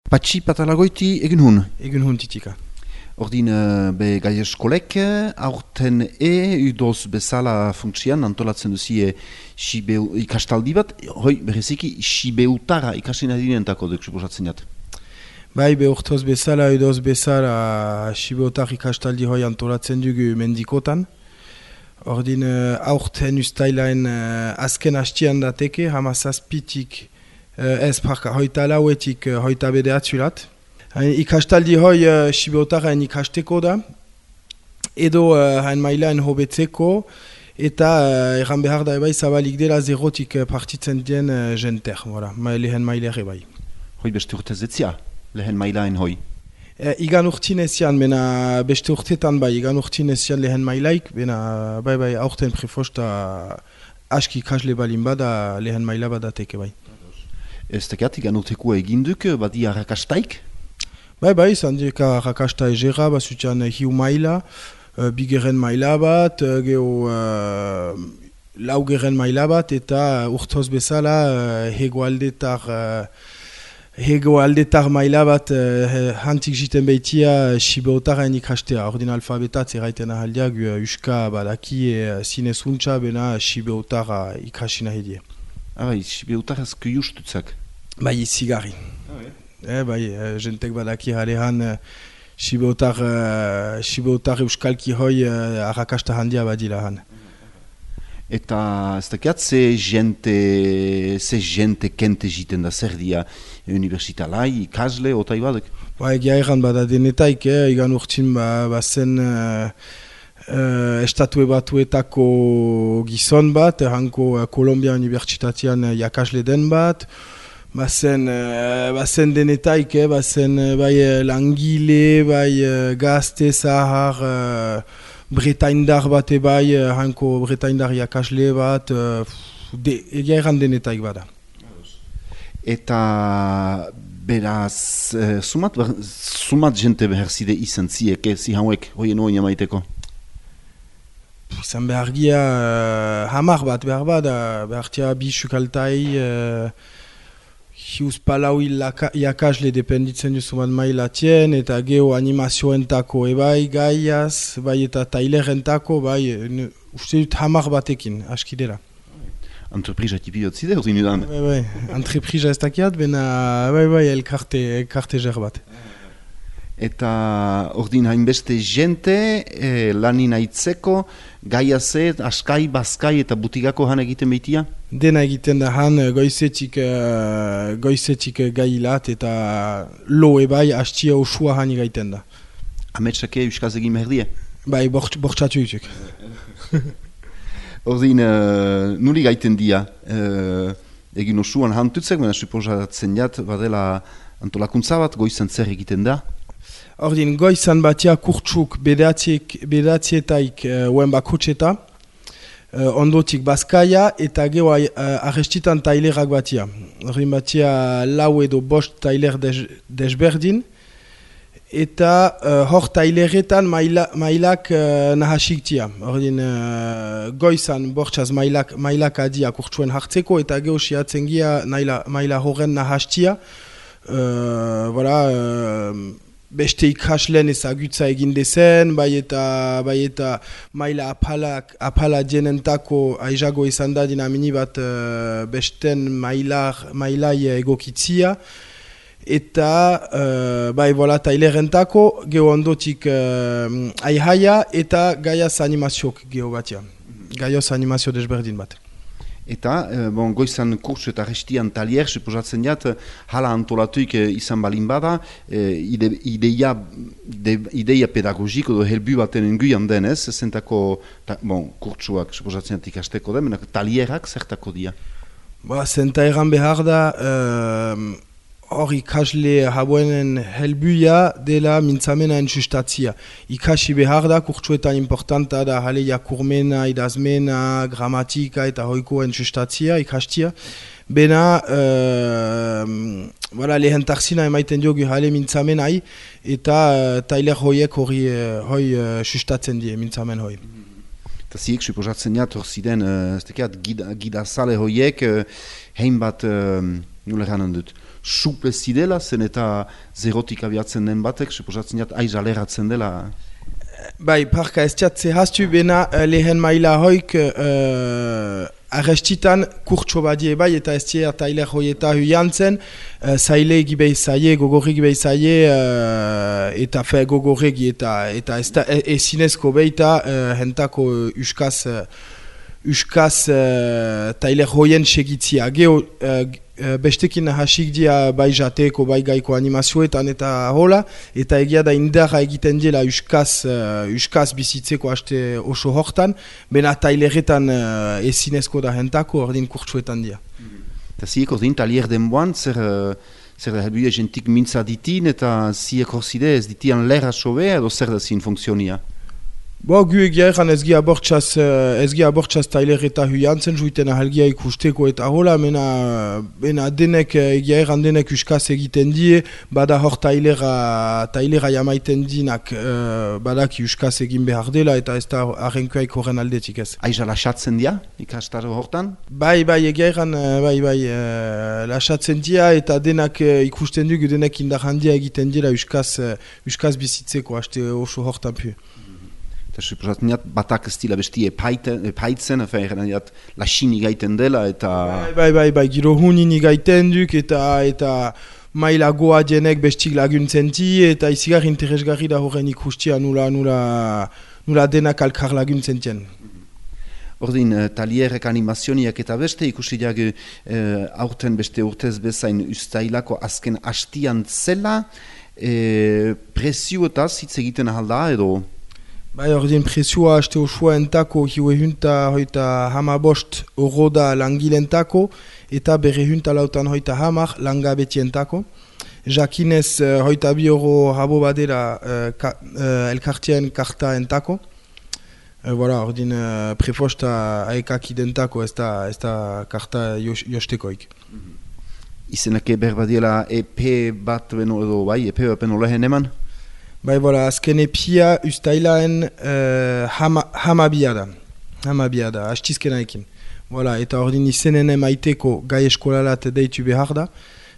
Patxi patalagoiti egin hun. Egun hun titika. Ordin be gai eskolek aurten udoz bezala funksian antolatzen duzie ikastaldi bat, hoi bereziki Sibeutara ikasten adinentako duk suposatzen jat. Bai, urtoz bezala, udoz bezala Sibeutar ikastaldi hoi antolatzen dugu mendikotan. Ordin aurten ustailaen azken hastian dateke, hamazazpitik hoita lauetik hoita bedeatzulat. Ikastaldi hoi Sibeutaren ikasteko da, edo hain mailaen hobetzeko, eta erran behar da ebai zabalik dela zerotik partitzen dien jenter, lehen mailere bai. Hoi beste urtez etzia, lehen mailaen hoi? Igan urtin ezian, bena beste urtetan bai, igan urtin ezian lehen mailaik, bena bai aurten prefosta aski ikasle balin bada lehen maila badateke bai. Ez tekat, igan urtekoa eginduk, badi arrakastaik? Bai, zandik arrakasta egera, basutian hiu maila, bigeren maila bat, laugeren maila bat, eta urtoz bezala hegoaldetar maila bat hantik jiten behitia Sibeutaren ikastea. Ordin alfabetatz erraiten ahaldiak uska badaki zinezuntza bena Sibeutara ikasina hedie. Bai, Sibeutaraz kuiustutzak? Bai, zigarri. Bai, jentek badaki halehan Sibeutar euskalki hoi arrakasta handia badila han. Eta ez dakiat ze jente kente jiten da zer dia universitalai, ikasle, otai badek? Ba, egia erran bada denetaik, igan urtin bazen estatue batuetako gizon bat, hanko Kolombia Unibertsitatean jakasle den bat, bazen denetaik, bazen bai langile, bai gazte, zahar, bretaindar bat bai, hanko bretaindar jakasle bat, egia erran denetaik bada. Eta beraz, sumat jente behar zide izan ziek, zi hauek, hoien oin amaiteko? Zan behar gia hamar bat behar bada, behar tia bi sukaltai, hiuz palau jakasle dependitzen duzuman mailatien, eta geho animazioentako ebai gaiaz, bai eta tailerentako, bai uste dut hamar batekin, askidera. Entreprisa tipi dut zide, hori nudan? Bai, entreprisa ez dakiat, bena bai elkarte zer bat. Eta ordin hainbeste jente lanin aitzeko, gaiaze, askai, bazkai eta butigako han egiten behitia? Dena egiten da han goizetik gailat eta loe bai hastia osua han egiten da. Ametsake euskaz egin behar die? Bai, bortxatu yutuk. Ordin, nuli gaiten dia, egin osuan hantutzek, baina suposatzen jat, badela antolakuntza bat, goizan zer egiten da? Ordin, goizan batia kurtsuk bedatzietaik uen bakotxeta, ondotik bazkaia eta geho arrestitan tailerak batia. Ordin batia lau edo bost tailer desberdin, eta hor taileretan mailak nahasik tia. Ordin, goizan bortxaz mailak adia kurtsuen hartzeko, eta geho siatzen gia maila horren nahastia. Beste ikaslen ezagutza egin dezen, bai eta maila apala dienentako aizago izan da dinamini bat besten mailai egokitzia. Eta tailerentako geho ondotik aihaia eta gaiaz animaziok geho batia. Gaioz animazio desberdin bat. Eta, goizan kursu eta restian talier, suposatzen jat, hala antolatuik izan balin bada, ideia pedagogiko edo helbu baten enguian denez, zentako kurtsuak suposatzen jat ikasteko den, talierak zertako dia? Zenta egan behar da, hor ikasle habuenen helbuia dela mintzamenaen sustatzia. Ikasi behar da, kurtsuetan importanta da jale jakurmena, idazmena, gramatika eta hoikoen sustatzia, ikastia. Bena, lehen tarzina emaiten diogu jale mintzamenai eta tailer hoiek hoi sustatzen die mintzamen hoi. Eta ziek, suposatzen jat, hor ziren, gidazale hoiek, hein bat, nule ganen dut, suple zidela, zen eta zerotik abiatzen den batek, suposatzen jat, aiz aleratzen dela. Bai, parka ez txatze hastu bena lehen maila hoik arrestitan kurtso badie bai eta ez tia tailer hoieta huiantzen zaile gibei zaie, gogorri gibei zaie eta fe gogorregi eta ez da ezinezko beita hentako uskaz tailer hoien segitzia. Geo bestekin hasik dia bai jateko, bai gaiko animazioetan eta hola, eta egia da indarra egiten dela uskaz bizitzeko haste oso hortan, bena taileretan ezinezko da hentako ordin kurtsuetan dia. Eta ziek ordin talier denboan, zer da helbide jentik mintza ditin, eta ziek horzide ez ditian lera sobe, edo zer da zin funtzionia? Bo, gu egia egan ez gia abortxaz tailer eta huiantzen, juiten ahalgia ikusteko eta hola, mena denek, egia egan denek uskaz egiten die, bada hor tailera jamaiten dinak, badaki uskaz egin behar dela, eta ez da arrenkoaik horren aldetik ez. Aiza lasatzen dia, ikastaro hortan? Bai, egia egan, lasatzen dia, eta denak ikusten dugu, denek indar handia egiten dira uskaz bizitzeko, haste oso hortan pu. Eta suposatzen jat, batak ez dila besti epaitzen, lasin igaiten dela, eta... Bai, giro hunin igaiten duk, eta maila goa jenek bestik laguntzen ti, eta izigar interesgarri da horren ikustia nula denak alkar laguntzen tien. Ordin, talierrek animazioniak eta beste, ikusi jagu aurten beste urtez bezain ustailako azken hastian zela, presioetaz hitz egiten ahalda edo... Bai, ordin presioa haste osua entako, hiue hunta hoita hamabost oro da langilentako, eta bere hunta lautan hoita hamar langabetientako. Jakinez hoita bi oro habo badera elkartien karta entako. Voilà, ordin prefosta aekak identako ez da karta jostekoik. Izenake berbadiela EP bat beno edo bai, EP bat beno lehen eman? Bai, voilà, azken epia ustailaen hamabia da, hastizkena ekin. Voilà, eta ordin izenen emaiteko gai eskolalat deitu behar da,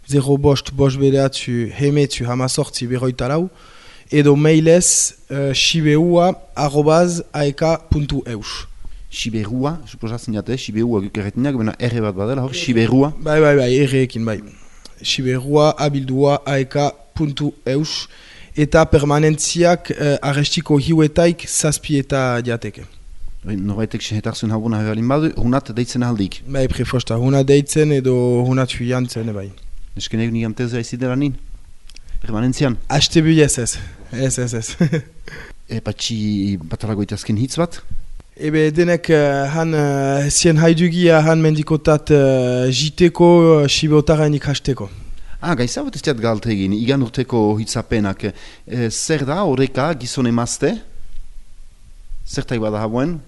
0 bost bedeatzu hemetzu hamazortzi berroita lau, edo mailez siberua@aeka.eus. Siberua, suposatzen jate, siberua gukerretinak, bena erre bat badela, hor, siberua? Bai, erre ekin, bai. Siberua abildua aeka.eus. Eta permanentziak arrestiko hiuetaik zazpi eta jateke. Norbaitek sehetarzen habuna hebalin badu, hunat deitzen aldik? Bai, prefosta, hunat deitzen edo hunat huiantzen, bai. Esken egun igantezea izidera nin? Permanentzian? Aste bu ez. Patxi batalagoit azken hitz bat? Ebe denek han zien haidugia han mendikotat jiteko sibeotaren ikasteko. Gaizza bat ez diat galte egin, igan urteko hitzapenak. Zer da, horreka, gizon emazte? Zertaik bada hauen?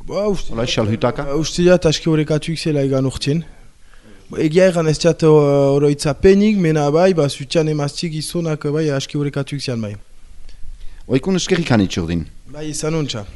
Ola, esal hutaka? Uste diat, aski horrekatuk zela igan urtien. Egia egan ez diat hori hitzapenik, mena bai, zutian emaztik gizonak bai, aski horrekatuk zian bai. Oikun eskerrik hanitxordin? Bai, izan untxa.